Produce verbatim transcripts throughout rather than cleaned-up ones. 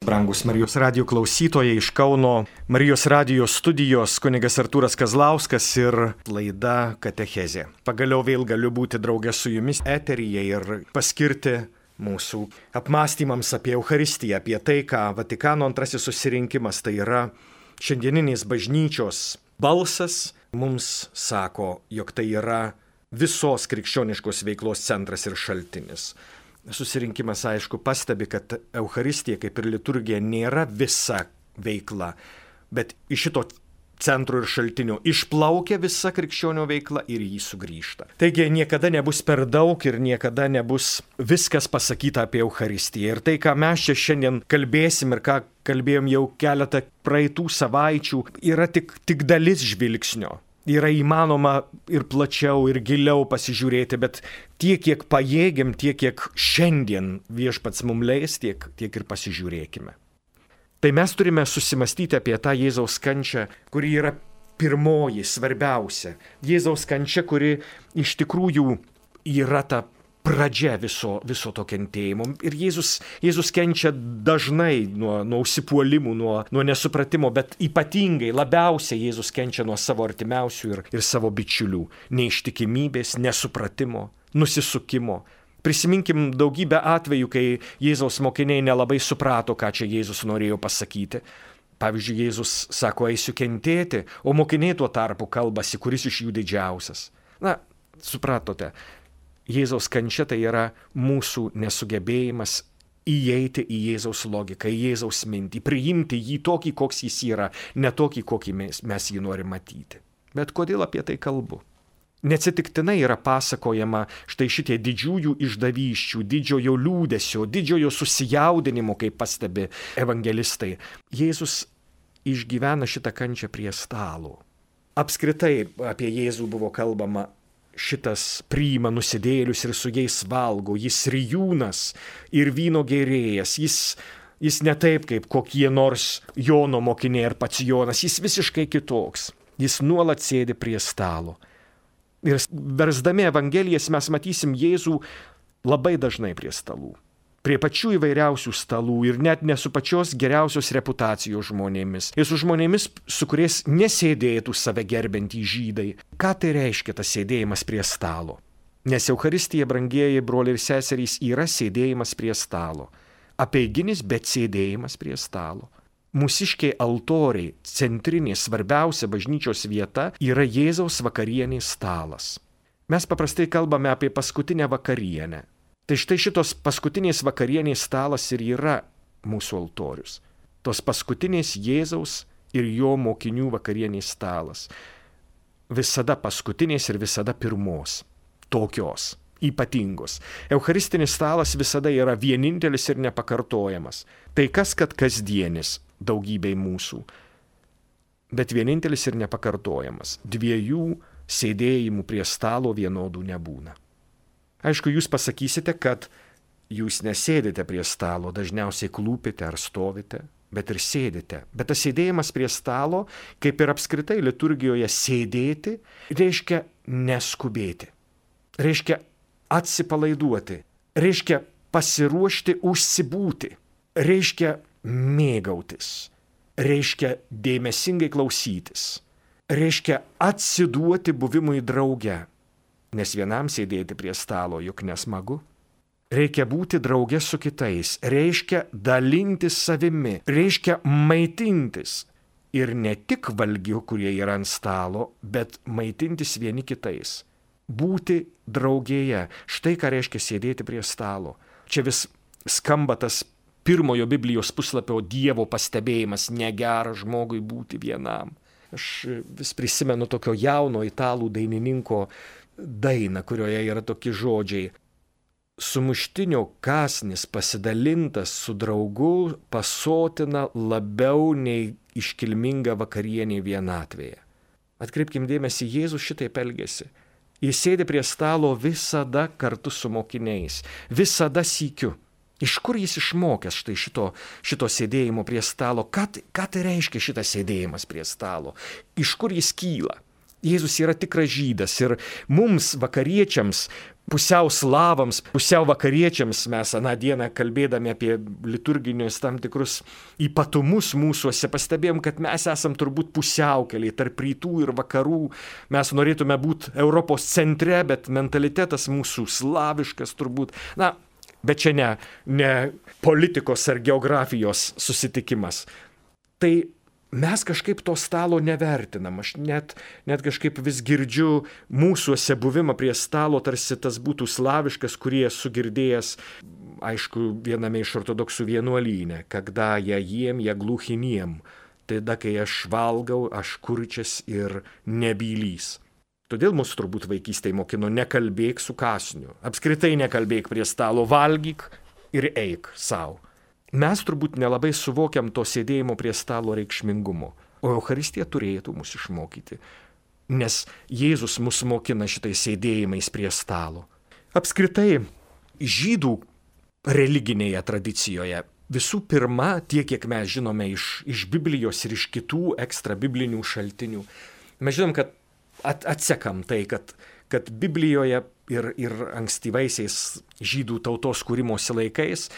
Brangus Marijos radijo klausytojai, iš Kauno Marijos radijo studijos kunigas Artūras Kazlauskas ir laida Katechezė. Pagaliau vėl galiu būti draugė su jumis eteryje ir paskirti mūsų apmąstymams apie Eucharistiją, apie tai, ką Vatikano antrasis susirinkimas, tai yra šiandieninės bažnyčios balsas, mums sako, jog tai yra visos krikščioniškos veiklos centras ir šaltinis. Susirinkimas, aišku, pastebi, kad Eucharistija, kaip ir liturgija, nėra visa veikla, bet iš šito centro ir šaltinio išplaukia visa krikščionio veikla ir jį sugrįžta. Taigi niekada nebus per daug ir niekada nebus viskas pasakyta apie Eucharistiją. Ir tai, ką mes čia šiandien kalbėsim ir ką kalbėjom jau keletą praeitų savaičių, yra tik, tik dalis žvilgsnio. Yra įmanoma ir plačiau, ir giliau pasižiūrėti, bet tiek, kiek pajėgiam, tiek, kiek šiandien viešpats mums leis, tiek, tiek ir pasižiūrėkime. Tai mes turime susimastyti apie tą Jėzaus kančią, kuri yra pirmoji, svarbiausia. Jėzaus kančia, kuri iš tikrųjų yra ta pradžia viso, viso to kentėjimo. Ir Jėzus, Jėzus kenčia dažnai nuo, nuo užsipuolimų, nuo, nuo nesupratimo, bet ypatingai, labiausiai Jėzus kenčia nuo savo artimiausių ir, ir savo bičiulių. Neištikimybės, nesupratimo, nusisukimo. Prisiminkim daugybę atvejų, kai Jėzaus mokiniai nelabai suprato, ką čia Jėzus norėjo pasakyti. Pavyzdžiui, Jėzus sako, eisiu kentėti, o mokiniai tuo tarpu kalbasi, kuris iš jų didžiausias. Na, supratote. Jėzaus kančia tai yra mūsų nesugebėjimas įeiti į Jėzaus logiką, į Jėzaus mintį, priimti jį tokį, koks jis yra, ne tokį, kokį mes, mes jį norime matyti. Bet kodėl apie tai kalbu? Neatsitiktinai yra pasakojama štai šitie didžiųjų išdavysčių, didžiojo liūdesio, didžiojo susijaudinimo, kaip pastebi evangelistai. Jėzus išgyvena šitą kančią prie stalo. Apskritai apie Jėzų buvo kalbama. Šitas priima nusidėlius ir su jais valgo, jis rijūnas ir vyno gėrėjas, jis, jis ne taip kaip kokie nors Jono mokiniai ar pats Jonas, jis visiškai kitoks, jis nuolat sėdi prie stalo. Ir versdami Evangelijas mes matysim Jėzų labai dažnai prie stalų, prie pačių įvairiausių stalų ir net ne su pačios geriausios reputacijos žmonėmis. Ir su žmonėmis, su kuriais nesėdėtų save gerbiantys žydai. Ką tai reiškia tas sėdėjimas prie stalo? Nes Eucharistija, brangieji broliai ir seserys, yra sėdėjimas prie stalo. Apeiginis, bet sėdėjimas prie stalo. Mūsiškiai altoriai, centrinė, svarbiausia bažnyčios vieta yra Jėzaus vakarienės stalas. Mes paprastai kalbame apie paskutinę vakarienę. Tai štai šitos paskutinės vakarienės stalas ir yra mūsų altorius. Tos paskutinės Jėzaus ir jo mokinių vakarienės stalas. Visada paskutinės ir visada pirmos. Tokios, ypatingos. Eucharistinis stalas visada yra vienintelis ir nepakartojamas. Tai kas, kad kasdienis daugybei mūsų. Bet vienintelis ir nepakartojamas. Dviejų sėdėjimų prie stalo vienodų nebūna. Aišku, jūs pasakysite, kad jūs nesėdite prie stalo, dažniausiai klūpite ar stovite, bet ir sėdite. Bet tas sėdėjimas prie stalo, kaip ir apskritai liturgijoje sėdėti, reiškia neskubėti, reiškia atsipalaiduoti, reiškia pasiruošti užsibūti, reiškia mėgautis, reiškia dėmesingai klausytis, reiškia atsiduoti buvimui drauge. Nes vienam sėdėti prie stalo juk nesmagu. Reikia būti drauge su kitais, reiškia dalintis savimi, reiškia maitintis. Ir ne tik valgių, kurie yra ant stalo, bet maitintis vieni kitais. Būti draugėje. Štai ką reiškia sėdėti prie stalo. Čia vis skamba tas pirmojo Biblijos puslapio Dievo pastebėjimas, negera žmogui būti vienam. Aš vis prisimenu tokio jauno italų dainininko dainą, kurioje yra tokie žodžiai. Sumuštinio kąsnis pasidalintas su draugu pasotina labiau nei iškilminga vakarienė vienatvėje. Atkreipkim dėmesį, Jėzus šitaip elgiasi. Jis sėdi prie stalo visada kartu su mokiniais, visada sykiu. Iš kur jis išmokęs štai šito, šito sėdėjimo prie stalo? Ką, ką tai reiškia šitas sėdėjimas prie stalo? Iš kur jis kyla? Jėzus yra tikras žydas ir mums, vakariečiams, pusiau slavams, pusiau vakariečiams, mes aną dieną kalbėdami apie liturginius tam tikrus ypatumus mūsuose, pastebėjom, kad mes esam turbūt pusiaukeliai tarp rytų ir vakarų. Mes norėtume būti Europos centre, bet mentalitetas mūsų slaviškas turbūt. Na, bet čia ne, ne politikos ar geografijos susitikimas. Tai mes kažkaip to stalo nevertinam. Aš net, net kažkaip vis girdžiu mūsuose buvimą prie stalo, tarsi tas būtų slaviškas, kurį esu girdėjęs, aišku, viename iš ortodoksų vienuolyne, kada jie jiem, jie gluchiniem. Tada, kai aš valgau, aš kurčias ir nebylys. Todėl mus turbūt vaikystėje mokino nekalbėk su kąsniu. Apskritai nekalbėk prie stalo, valgyk ir eik savo. Mes turbūt nelabai suvokiam to sėdėjimo prie stalo reikšmingumo, o Eucharistija turėtų mus išmokyti, nes Jėzus mus mokina šitais sėdėjimais prie stalo. Apskritai, žydų religinėje tradicijoje visų pirma, tiek kiek mes žinome iš, iš Biblijos ir iš kitų ekstra biblinių šaltinių, mes žinom, kad at, atsekam tai, kad, kad Biblijoje ir, ir ankstyvaisiais žydų tautos kūrimosi laikais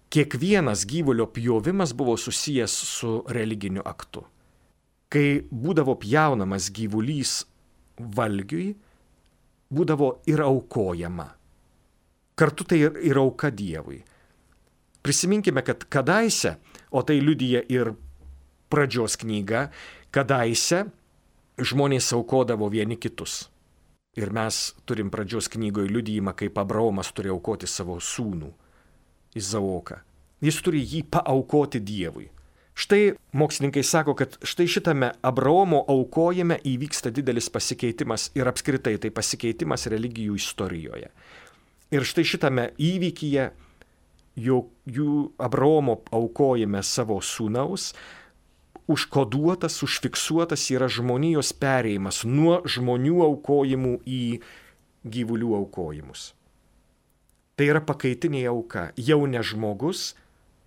kiekvienas gyvulio pjovimas buvo susijęs su religiniu aktu. Kai būdavo pjaunamas gyvulys valgiui, būdavo ir aukojama. Kartu tai ir, ir auka Dievui. Prisiminkime, kad kadaise, o tai liudija ir pradžios knyga, kadaise žmonės aukodavo vieni kitus. Ir mes turim pradžios knygoje liudijimą, kaip Abraomas turi aukoti savo sūnų. Izaoką. Jis turi jį paaukoti Dievui. Štai mokslininkai sako, kad štai šitame Abraomo aukojime įvyksta didelis pasikeitimas ir apskritai tai pasikeitimas religijų istorijoje. Ir štai šitame įvykyje, jų, jų Abraomo aukojime savo sūnaus, užkoduotas, užfiksuotas yra žmonijos perėjimas nuo žmonių aukojimų į gyvulių aukojimus. Tai yra pakaitinė auka, jau ne žmogus,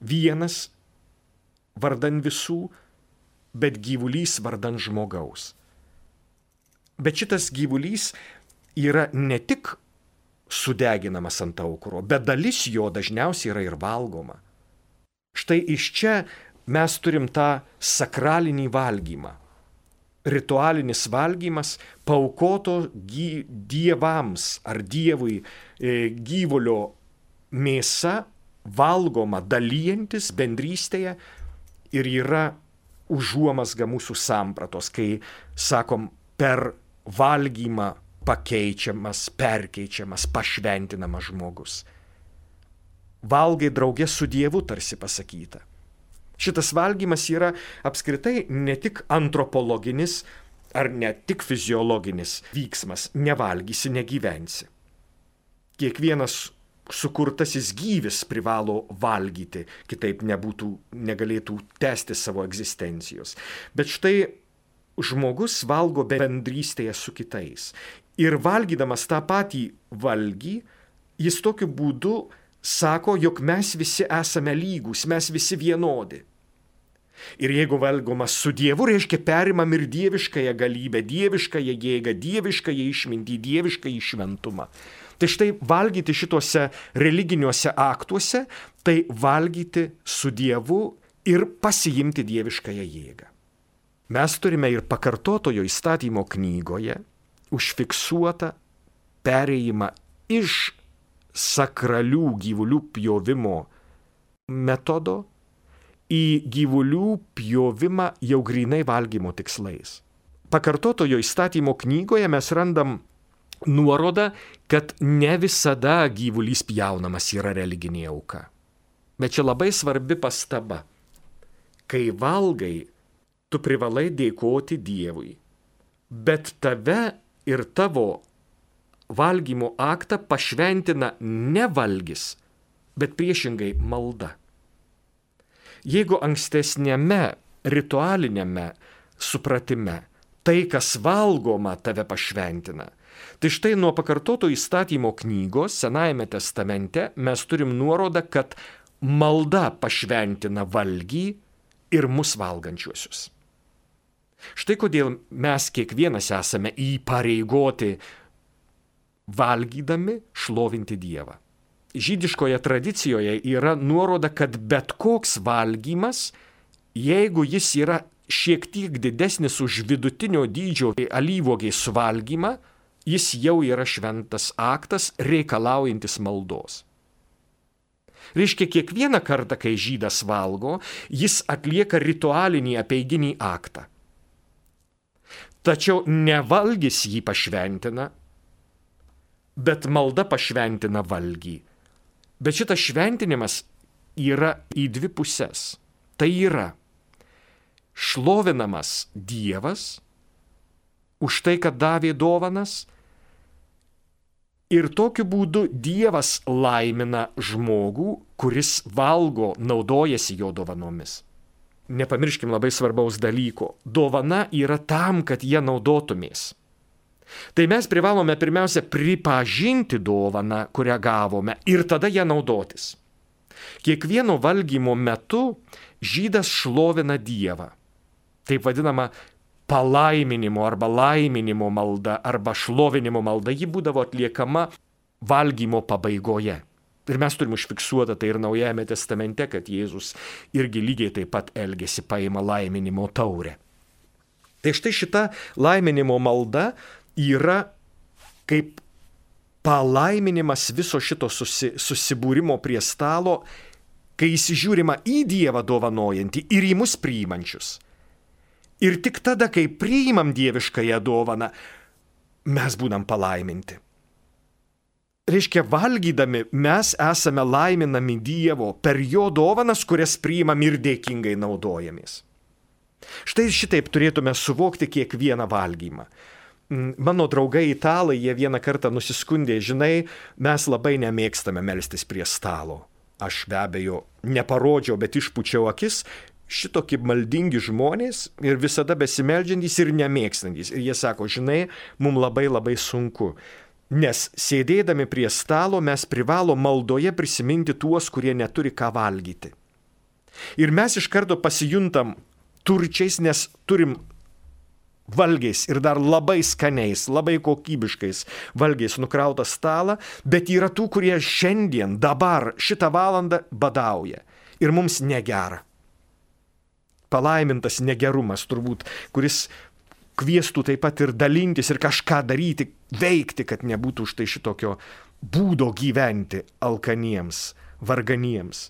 vienas vardan visų, bet gyvulys vardan žmogaus. Bet šitas gyvulys yra ne tik sudeginamas ant aukuro, bet dalis jo dažniausiai yra ir valgoma. Štai iš čia mes turim tą sakralinį valgymą. Ritualinis valgymas paaukoto gy, dievams ar dievui e, gyvulio mėsa valgoma dalyjantis bendrystėje ir yra užuomasga mūsų sampratos, kai sakom per valgymą pakeičiamas, perkeičiamas, pašventinamas žmogus. Valgai draugė su Dievu, tarsi pasakyta. Šitas valgymas yra apskritai ne tik antropologinis ar ne tik fiziologinis vyksmas. Nevalgysi, negyvensi. Kiekvienas sukurtasis gyvis privalo valgyti, kitaip nebūtų, negalėtų tęsti savo egzistencijos. Bet štai žmogus valgo bendrystėje su kitais. Ir valgydamas tą patį valgį, jis tokiu būdu sako, jog mes visi esame lygūs, mes visi vienodi. Ir jeigu valgoma su Dievu, reiškia perimam ir dieviškąją galybę, dieviškąją jėgą, dieviškąją išmintį, dieviškąjį šventumą. Tai štai valgyti šituose religiniuose aktuose, tai valgyti su Dievu ir pasiimti dieviškąją jėgą. Mes turime ir pakartotojo įstatymo knygoje užfiksuotą perėjimą iš sakralių gyvulių pjovimo metodo į gyvulių pjovimą jau grynai valgymo tikslais. Pakartotojo įstatymo knygoje mes randam nuorodą, kad ne visada gyvulys pjaunamas yra religinė auka. Bet čia labai svarbi pastaba. Kai valgai, tu privalai dėkoti Dievui. Bet tave ir tavo valgymo aktą pašventina ne valgis, bet priešingai malda. Jeigu ankstesnėme ritualinėme supratime tai, kas valgoma, tave pašventina, tai štai nuo pakartoto įstatymo knygos Senajame testamente mes turim nuorodą, kad malda pašventina valgį ir mus valgančiuosius. Štai kodėl mes kiekvienas esame įpareigoti valgydami šlovinti Dievą. Žydiškoje tradicijoje yra nuoroda, kad bet koks valgymas, jeigu jis yra šiek tiek didesnis už vidutinio dydžio alyvuogės suvalgymą, jis jau yra šventas aktas reikalaujantis maldos. Reiškia, kiekvieną kartą, kai žydas valgo, jis atlieka ritualinį apeiginį aktą. Tačiau ne valgis jį pašventina, bet malda pašventina valgį. Bet šitas šventinimas yra į dvi puses. Tai yra šlovinamas Dievas už tai, kad davė dovanas, ir tokiu būdu Dievas laimina žmogų, kuris valgo, naudojasi jo dovanomis. Nepamirškim labai svarbaus dalyko. Dovana yra tam, kad jie naudotumės. Tai mes privalome pirmiausia pripažinti dovaną, kurią gavome, ir tada ją naudotis. Kiekvieno valgymo metu žydas šlovina Dievą. Taip vadinama palaiminimo arba laiminimo malda arba šlovinimo malda, ji būdavo atliekama valgymo pabaigoje. Ir mes turim užfiksuotą tai ir Naujajame testamente, kad Jėzus irgi lygiai taip pat elgėsi, paima laiminimo taurę. Tai štai šita laiminimo malda yra kaip palaiminimas viso šito susi, susibūrimo prie stalo, kai įsižiūrima į Dievą dovanojantį ir į mus priimančius. Ir tik tada, kai priimam dieviškąją dovaną, mes būnam palaiminti. Reiškia, valgydami mes esame laiminami Dievo per jo dovanas, kurias priimam ir dėkingai naudojamės. Štai šitaip turėtume suvokti kiekvieną valgymą. Mano draugai italai, jie vieną kartą nusiskundė, žinai, mes labai nemėgstame melstis prie stalo. Aš be abejo neparodžiau, bet išpučiau akis. Šitokie maldingi žmonės ir visada besimeldžiantys ir nemėgstantys. Ir jie sako, žinai, mums labai labai sunku, nes sėdėdami prie stalo mes privalo maldoje prisiminti tuos, kurie neturi ką valgyti. Ir mes iš karto pasijuntam turčiais, nes turim valgiais ir dar labai skaniais, labai kokybiškais valgiais nukrautą stalą, bet yra tų, kurie šiandien, dabar, šitą valandą badauja ir mums negera. Palaimintas negerumas turbūt, kuris kviestų taip pat ir dalintis ir kažką daryti, veikti, kad nebūtų štai šitokio būdo gyventi alkaniems, varganiems.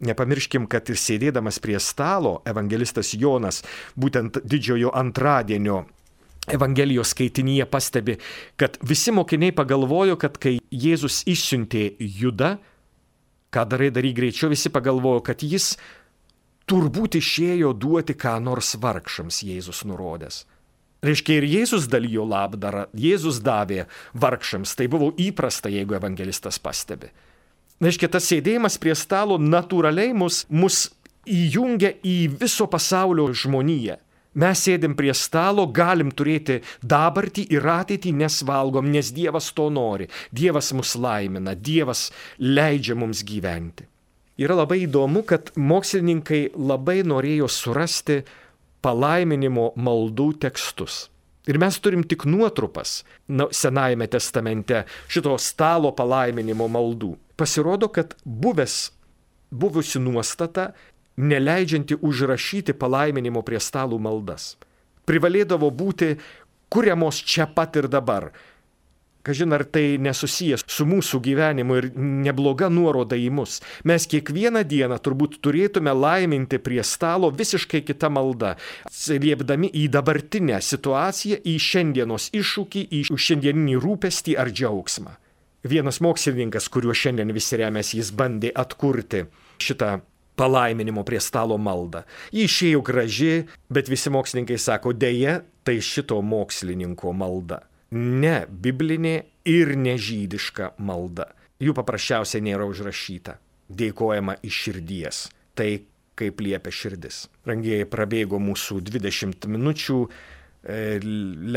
Nepamirškim, kad ir sėdėdamas prie stalo, evangelistas Jonas būtent didžiojo antradienio Evangelijos skaitinyje pastebi, kad visi mokiniai pagalvojo, kad kai Jėzus išsiuntė Judą, ką darai, daryk greičiau, visi pagalvojo, kad jis turbūt išėjo duoti ką nors vargšams, Jėzus nurodęs. Reiškia, ir Jėzus dalijo labdarą, Jėzus davė vargšams, tai buvo įprasta, jeigu evangelistas pastebi. Reiškia, tas sėdėjimas prie stalo natūraliai mus, mus įjungia į viso pasaulio žmoniją. Mes sėdim prie stalo, galim turėti dabartį ir ateitį, nes valgom, nes Dievas to nori. Dievas mus laimina, Dievas leidžia mums gyventi. Yra labai įdomu, kad mokslininkai labai norėjo surasti palaiminimo maldų tekstus. Ir mes turim tik nuotrupas Senajame testamente šito stalo palaiminimo maldų. Pasirodo, kad buvęs, buvusi nuostata neleidžianti užrašyti palaiminimo prie stalų maldas. Privalėdavo būti kuriamos čia pat ir dabar. Kažin, ar tai nesusijęs su mūsų gyvenimu ir nebloga nuoroda į mus. Mes kiekvieną dieną turbūt turėtume laiminti prie stalo visiškai kitą maldą, liepdami į dabartinę situaciją, į šiandienos iššūkį, į šiandieninį rūpestį ar džiaugsmą. Vienas mokslininkas, kuriuo šiandien visi remiasi, jis bandė atkurti šitą palaiminimo prie stalo maldą. Ji išėjo graži, bet visi mokslininkai sako, deja, tai šito mokslininko malda. Ne biblinė ir nežydiška malda. Jų paprasčiausiai nėra užrašyta. Dėkojama iš širdies. Tai kaip liepia širdis. Rangieji, prabėgo mūsų dvidešimt minučių.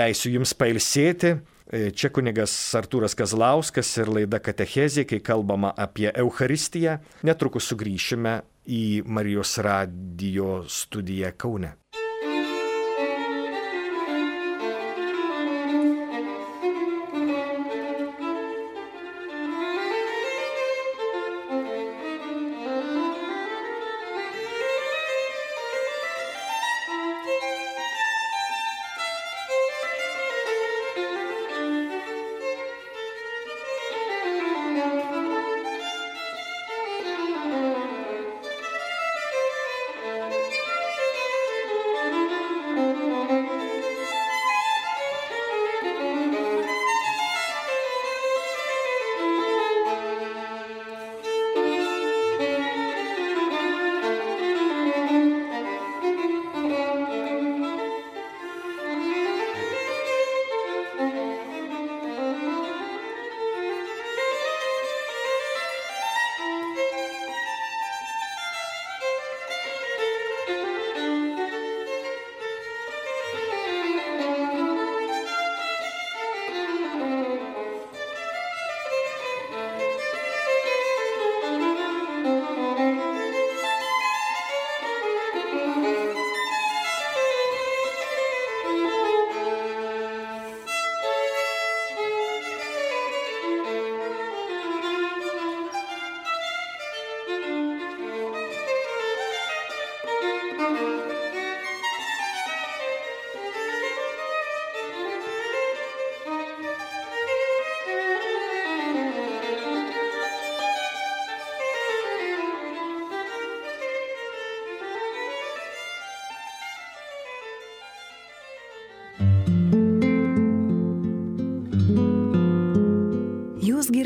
Leisiu jums pailsėti. Čia kunigas Artūras Kazlauskas ir laida Katechezė, kai kalbama apie Eucharistiją. Netrukus sugrįšime į Marijos radijo studiją Kaune.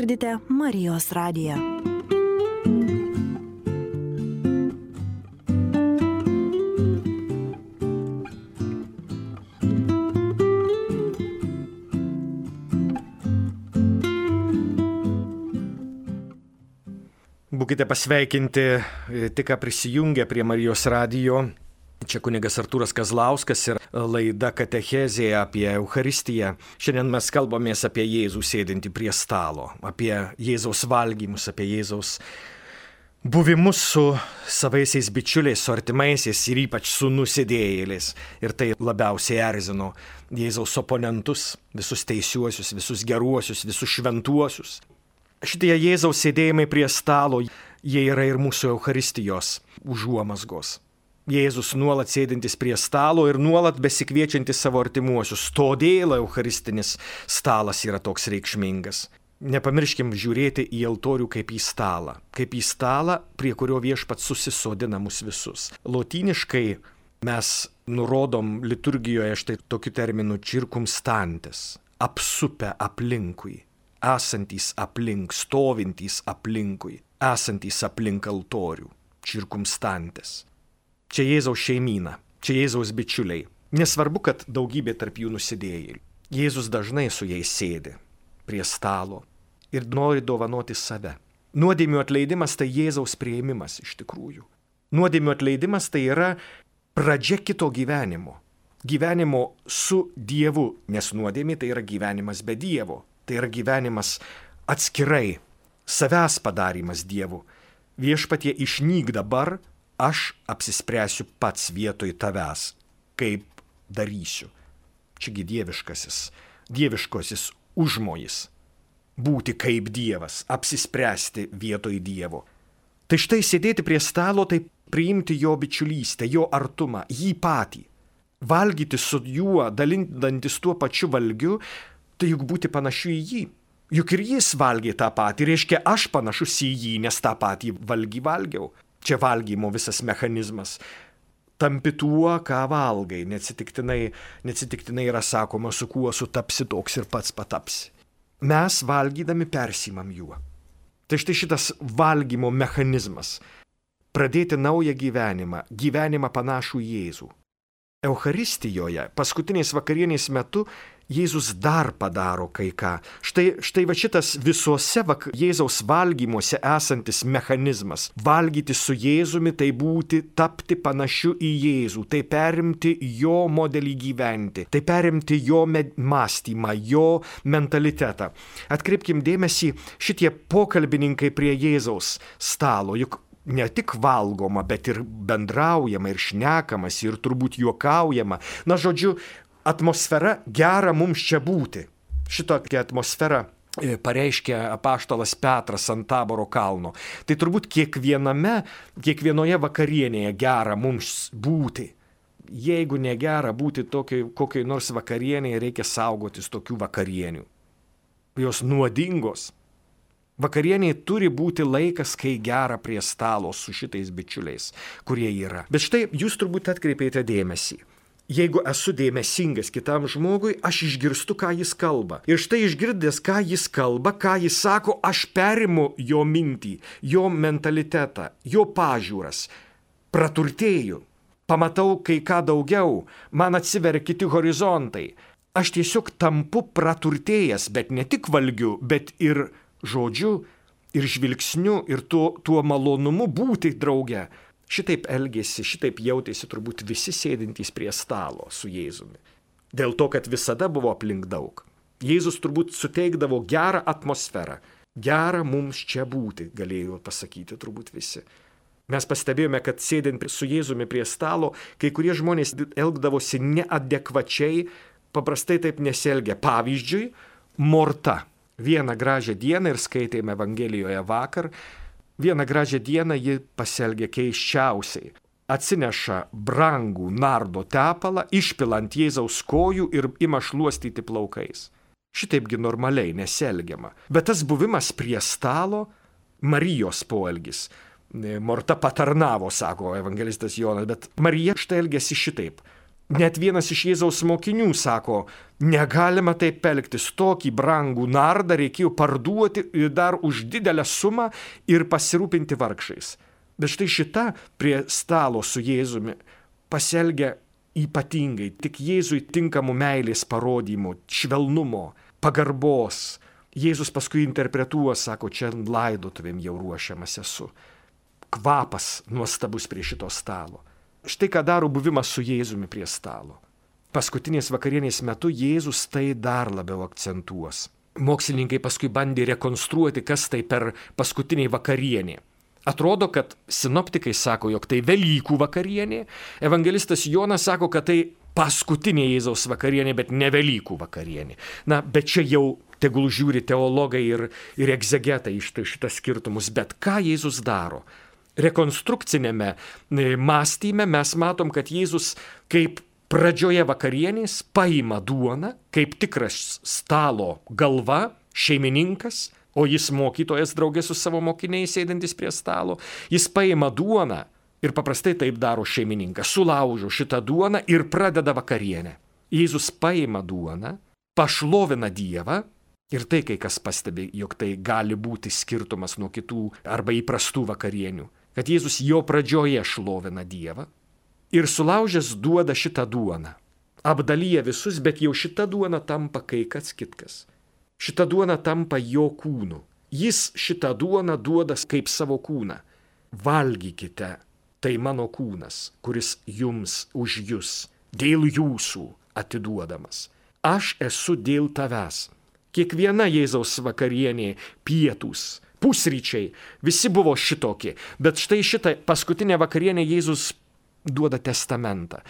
girdite Marijos radiją. Būkite pasveikinti, tik ką prisijungę prie Marijos radijo. Čia kunigas Artūras Kazlauskas ir laida Katechezė apie Eucharistiją. Šiandien mes kalbamės apie Jėzų sėdintį prie stalo, apie Jėzaus valgymus, apie Jėzaus buvimus su savaisiais bičiuliais, su artimaisiais ir ypač su nusidėjėliais. Ir tai labiausiai erzino Jėzaus oponentus, visus teisiuosius, visus geruosius, visus šventuosius. Šitie Jėzaus sėdėjimai prie stalo, jie yra ir mūsų Eucharistijos užuomazgos. Jėzus nuolat sėdintis prie stalo ir nuolat besikviečiantis savo artimuosius. Todėl Eucharistinis stalas yra toks reikšmingas. Nepamirškim žiūrėti į altorių kaip į stalą. Kaip į stalą, prie kurio Viešpats susisodina mus visus. Lotyniškai mes nurodom liturgijoje štai tokiu terminu circumstantes. Apsupę aplinkui. Esantys aplink, stovintys aplinkui, esantys aplink altorių, circumstantes. Čia Jėzaus šeimyna, čia Jėzaus bičiuliai. Nesvarbu, kad daugybė tarp jų nusidėjėlių. Jėzus dažnai su jais sėdi prie stalo ir nori dovanoti save. Nuodėmių atleidimas tai Jėzaus priėmimas iš tikrųjų. Nuodėmių atleidimas tai yra pradžia kito gyvenimo. Gyvenimo su Dievu, nes nuodėmė tai yra gyvenimas be Dievo. Tai yra gyvenimas atskirai, savęs padarimas Dievu. Viešpatie, išnyk dabar, aš apsispręsiu pats vietoj tavęs, kaip darysiu. Čiagi dieviškasis, dieviškosis užmojis. Būti kaip Dievas, apsispręsti vietoj Dievo. Tai štai sėdėti prie stalo, tai priimti jo bičiulystę, jo artumą, jį patį. Valgyti su juo, dalindantis tuo pačiu valgiu, tai juk būti panašiu į jį. Juk ir jis valgė tą patį, reiškia aš panašus į jį, nes tą patį valgį valgiau. Čia valgymo visas mechanizmas. Tampi tuo, ką valgai, neatsitiktinai, neatsitiktinai yra sakoma, su kuo sutapsi toks ir pats patapsi. Mes valgydami persimam juo. Tai štai šitas valgymo mechanizmas. Pradėti naują gyvenimą, gyvenimą panašų į Jėzų. Eucharistijoje, paskutiniais vakarienės metu, Jėzus dar padaro kai ką. Štai, štai va šitas visuose vak... Jėzaus valgymuose esantis mechanizmas. Valgyti su Jėzumi tai būti, tapti panašiu į Jėzų, tai perimti jo modelį gyventi, tai perimti jo med... mąstymą, jo mentalitetą. Atkreipkim dėmesį, šitie pokalbininkai prie Jėzaus stalo, juk ne tik valgoma, bet ir bendraujama, ir šnekamas, ir turbūt juokaujama. Na, žodžiu, atmosfera gera mums čia būti. Šitokia atmosfera pareiškia apaštalas Petras ant Taboro kalno. Tai turbūt kiekviename, kiekvienoje vakarienėje gera mums būti. Jeigu negera būti tokiai, kokiai nors vakarienėje, reikia saugotis tokių vakarienių. Jos nuodingos. Vakarieniai turi būti laikas, kai gera prie stalo su šitais bičiuliais, kurie yra. Bet štai jūs turbūt atkreipėte dėmesį. Jeigu esu dėmesingas kitam žmogui, aš išgirstu, ką jis kalba. Ir štai išgirdęs, ką jis kalba, ką jis sako, aš perimu jo mintį, jo mentalitetą, jo pažiūras. Praturtėju, pamatau kai ką daugiau, man atsiveria kiti horizontai. Aš tiesiog tampu praturtėjęs, bet ne tik valgiu, bet ir žodžiu, ir žvilgsniu, ir tuo, tuo malonumu būti drauge. Šitaip elgėsi, šitaip jautėsi turbūt visi sėdintys prie stalo su Jėzumi. Dėl to, kad visada buvo aplink daug. Jėzus turbūt suteikdavo gerą atmosferą. Gera mums čia būti, galėjo pasakyti turbūt visi. Mes pastebėjome, kad sėdint su Jėzumi prie stalo, kai kurie žmonės elgdavosi neadekvačiai, paprastai taip nesielgia. Pavyzdžiui, Morta. Vieną gražią dieną, ir skaitėme Evangelijoje vakar, vieną gražią dieną ji pasielgia keisčiausiai. Atsineša brangų nardo tepalą, išpila ant Jėzaus kojų ir ima šluostyti plaukais. Šitaipgi normaliai nesielgiama. Bet tas buvimas prie stalo, Marijos poelgis. Morta patarnavo, sako evangelistas Jonas, bet Marija štai elgiasi šitaip. Net vienas iš Jėzaus mokinių sako, negalima taip elgtis, tokį brangų nardą reikėjo parduoti dar už didelę sumą ir pasirūpinti vargšais. Bet štai šita prie stalo su Jėzumi pasielgia ypatingai, tik Jėzui tinkamų meilės parodymų, švelnumo, pagarbos. Jėzus paskui interpretuoja, sako, čia laidotuvėm jau ruošiamas esu. Kvapas nuostabus prie šito stalo. Štai ką daro buvimas su Jėzumi prie stalo. Paskutinės vakarienės metu Jėzus tai dar labiau akcentuos. Mokslininkai paskui bandė rekonstruoti, kas tai per paskutinį vakarienė. Atrodo, kad sinoptikai sako, jog tai Velykų vakarienė, evangelistas Jonas sako, kad tai paskutinė Jėzaus vakarienė, bet ne Velykų vakarienė. Na, bet čia jau tegul žiūri teologai ir, ir egzegetai iš šitas skirtumus. Bet ką Jėzus daro? Rekonstrukcinėme mąstyme mes matom, kad Jėzus kaip pradžioje vakarienės paima duoną, kaip tikras stalo galva, šeimininkas, o jis mokytojas draugė su savo mokiniais sėdintis prie stalo, jis paima duoną ir paprastai taip daro šeimininkas, sulaužo šitą duoną ir pradeda vakarienę. Jėzus paima duoną, pašlovina Dievą ir tai kai kas pastebi, jog tai gali būti skirtumas nuo kitų arba įprastų vakarienių. Kad Jėzus jo pradžioje šlovina Dievą ir sulaužęs duoda šitą duoną. Apdalyja visus, bet jau šita duona tampa kai kas kitkas. Šita duona tampa jo kūnu. Jis šitą duoną duoda kaip savo kūną. Valgykite, tai mano kūnas, kuris jums už jus, dėl jūsų atiduodamas. Aš esu dėl tavęs. Kiekviena Jėzaus vakarienė, pietūs, pusryčiai, visi buvo šitokie, bet štai šitą paskutinę vakarienę Jėzus duoda testamentą.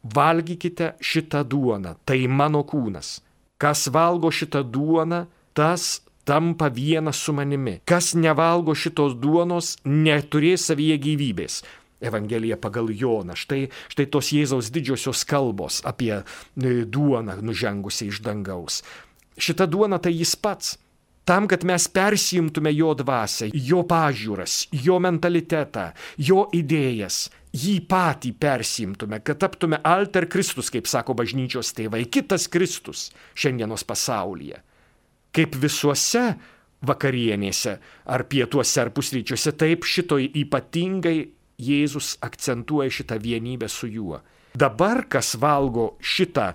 Valgykite šitą duoną, tai mano kūnas. Kas valgo šitą duoną, tas tampa vienas su manimi. Kas nevalgo šitos duonos, neturės savyje gyvybės. Evangelija pagal Joną. Štai, štai tos Jėzaus didžiosios kalbos apie duoną nužengusią iš dangaus. Šita duona tai jis pats. Tam, kad mes persijimtume jo dvasią, jo pažiūras, jo mentalitetą, jo idėjas, jį patį persijimtume, kad taptume alter Kristus, kaip sako bažnyčios tėvai, kitas Kristus šiandienos pasaulyje. Kaip visuose vakarienėse, ar pietuose, ar pusryčiuose, taip šitoj ypatingai Jėzus akcentuoja šitą vienybę su juo. Dabar, kas valgo šitą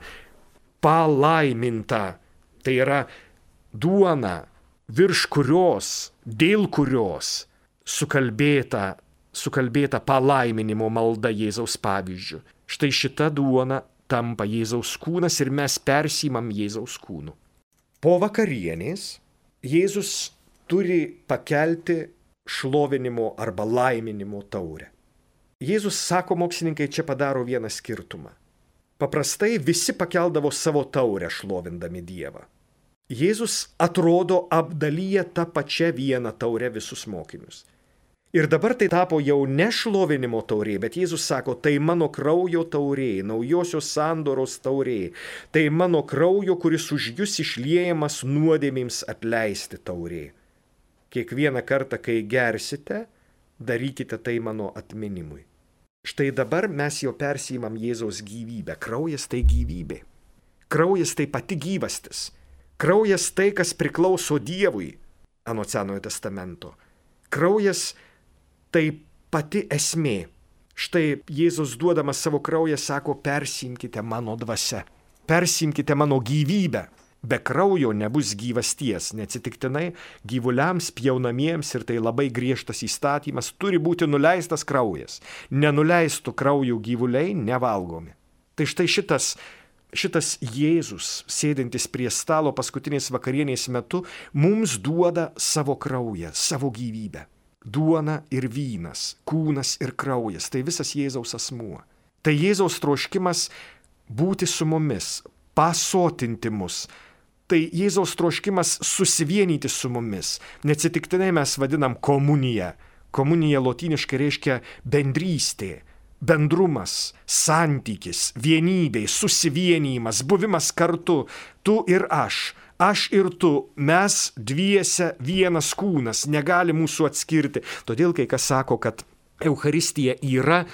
palaimintą, tai yra duona, virš kurios, dėl kurios sukalbėta, sukalbėta palaiminimo malda Jėzaus pavyzdžiu. Štai šita duona tampa Jėzaus kūnas ir mes persimam Jėzaus kūnu. Po vakarienės Jėzus turi pakelti šlovinimo arba laiminimo taurę. Jėzus, sako mokslininkai, čia padaro vieną skirtumą. Paprastai visi pakeldavo savo taurę šlovindami Dievą. Jėzus atrodo apdalyja tą pačią vieną taurę visus mokinius. Ir dabar tai tapo jau ne šlovinimo taurė, bet Jėzus sako, tai mano kraujo taurė, naujosios sandoros taurė, tai mano kraujo, kuris už jūs išliejamas nuodėmėms atleisti taurė. Kiekvieną kartą, kai gersite, darykite tai mano atminimui. Štai dabar mes jau persijimam Jėzaus gyvybę. Kraujas tai gyvybė. Kraujas tai pati gyvastis. Kraujas tai, kas priklauso Dievui, anot Senojo testamento. Kraujas tai pati esmė. Štai Jėzus duodamas savo kraują sako, persimkite mano dvasia, persimkite mano gyvybę. Be kraujo nebus gyvasties, neatsitiktinai gyvuliams pjaunamiems ir tai labai griežtas įstatymas turi būti nuleistas kraujas. Nenuleistų kraujo gyvuliai nevalgomi. Tai štai šitas Šitas Jėzus, sėdintis prie stalo paskutinės vakarienės metu, mums duoda savo kraują, savo gyvybę. Duona ir vynas, kūnas ir kraujas, tai visas Jėzaus asmuo. Tai Jėzaus troškimas būti su mumis, pasotinti mus. Tai Jėzaus troškimas susivienyti su mumis. Neatsitiktinai mes vadinam komuniją. Komunija lotyniškai reiškia bendrystė. Bendrumas, santykis, vienybė, susivienijimas, buvimas kartu, tu ir aš, aš ir tu, mes dviese vienas kūnas, negali mūsų atskirti. Todėl kai kas sako, kad Eucharistija yra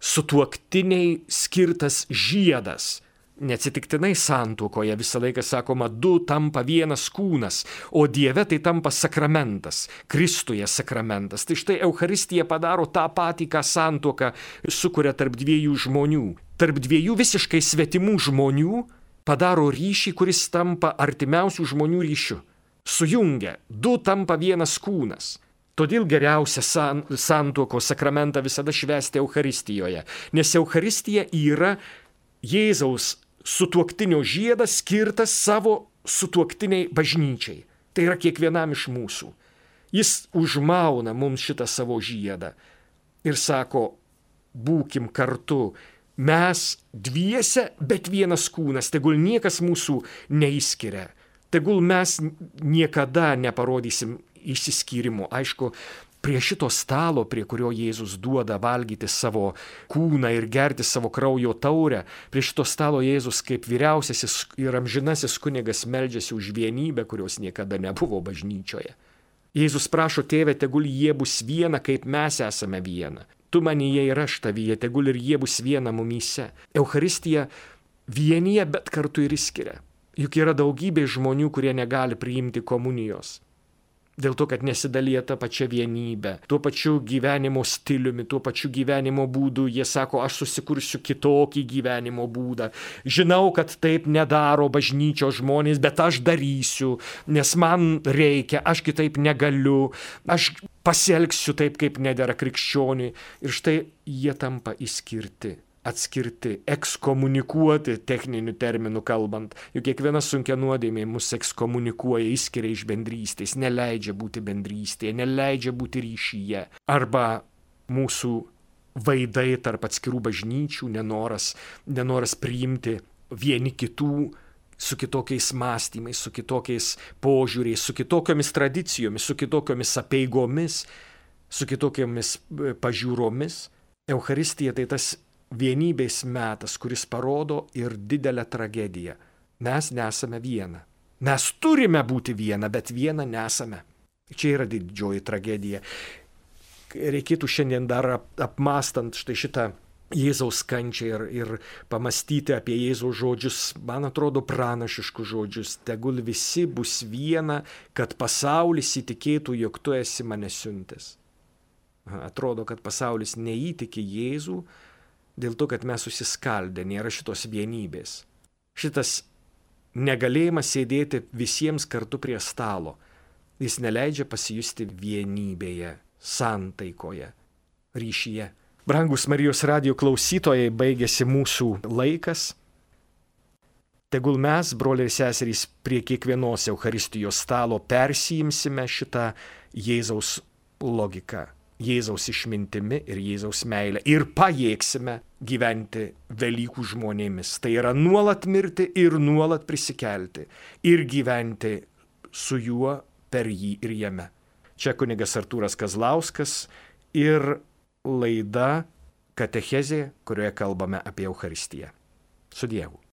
sutuoktiniai skirtas žiedas. Neatsitiktinai santuokoje visą laiką sakoma, du tampa vienas kūnas, o Dieve tai tampa sakramentas, Kristuje sakramentas. Tai štai Eucharistija padaro tą patį, ką santuoka sukuria tarp dviejų žmonių. Tarp dviejų visiškai svetimų žmonių padaro ryšį, kuris tampa artimiausių žmonių ryšiu. Sujungia, du tampa vienas kūnas. Todėl geriausia san, santuokos sakramentą visada švęsti Eucharistijoje, nes Eucharistija yra Jėzaus sutuoktinio žiedas skirtas savo sutuoktiniai bažnyčiai. Tai yra kiekvienam iš mūsų. Jis užmauna mums šitą savo žiedą ir sako, būkim kartu, mes dviese, bet vienas kūnas, tegul niekas mūsų neįskiria, tegul mes niekada neparodysim išsiskyrimo. Aišku, prie šito stalo, prie kurio Jėzus duoda valgyti savo kūną ir gerti savo kraujo taurę, prie šito stalo Jėzus kaip vyriausiasis ir amžinasis kunigas meldžiasi už vienybę, kurios niekada nebuvo bažnyčioje. Jėzus prašo, Tėve, tegul jie bus viena, kaip mes esame viena. Tu manyje ir aš tavyje, tegul ir jie bus viena mumyse. Eucharistija vienyje, bet kartu ir išskiria. Juk yra daugybė žmonių, kurie negali priimti komunijos. Dėl to, kad nesidalyja tą pačią vienybę, tuo pačiu gyvenimo stiliumi, tuo pačiu gyvenimo būdu. Jie sako, aš susikursiu kitokį gyvenimo būdą. Žinau, kad taip nedaro bažnyčios žmonės, bet aš darysiu, nes man reikia, aš kitaip negaliu, aš pasielgsiu taip, kaip nedera krikščioniui. Ir štai jie tampa išskirti, atskirti, ekskomunikuoti, techniniu terminu kalbant. Juk kiekviena sunkia nuodėmė mus ekskomunikuoja, išskiria iš bendrystės, neleidžia būti bendrystėje, neleidžia būti ryšyje. Arba mūsų vaidai tarp atskirų bažnyčių, nenoras, nenoras priimti vieni kitų su kitokiais mąstymais, su kitokiais požiūriais, su kitokiomis tradicijomis, su kitokiomis apeigomis, su kitokiomis pažiūromis. Eucharistija tai tas vienybės metas, kuris parodo ir didelę tragediją. Mes nesame viena. Mes turime būti viena, bet viena nesame. Čia yra didžioji tragedija. Reikėtų šiandien dar apmastant štai šitą Jėzaus kančią ir, ir pamastyti apie Jėzaus žodžius, man atrodo, pranašiškus žodžius. Tegul visi bus viena, kad pasaulis įtikėtų, jog tu esi mane siuntęs. Atrodo, kad pasaulis neįtiki Jėzų, dėl to, kad mes susiskaldę, nėra šitos vienybės. Šitas negalėjimas sėdėti visiems kartu prie stalo. Jis neleidžia pasijusti vienybėje, santaikoje, ryšyje. Brangus Marijos radijo klausytojai, baigėsi mūsų laikas. Tegul mes, broliai ir seserys, prie kiekvienos Eucharistijos stalo persijimsime šitą Jėzaus logiką, Jėzaus išmintimi ir Jėzaus meilę ir pajėgsime gyventi Velykų žmonėmis. Tai yra nuolat mirti ir nuolat prisikelti ir gyventi su juo, per jį ir jame. Čia kunigas Artūras Kazlauskas ir laida Katechezė, kurioje kalbame apie Eucharistiją. Su Dievu.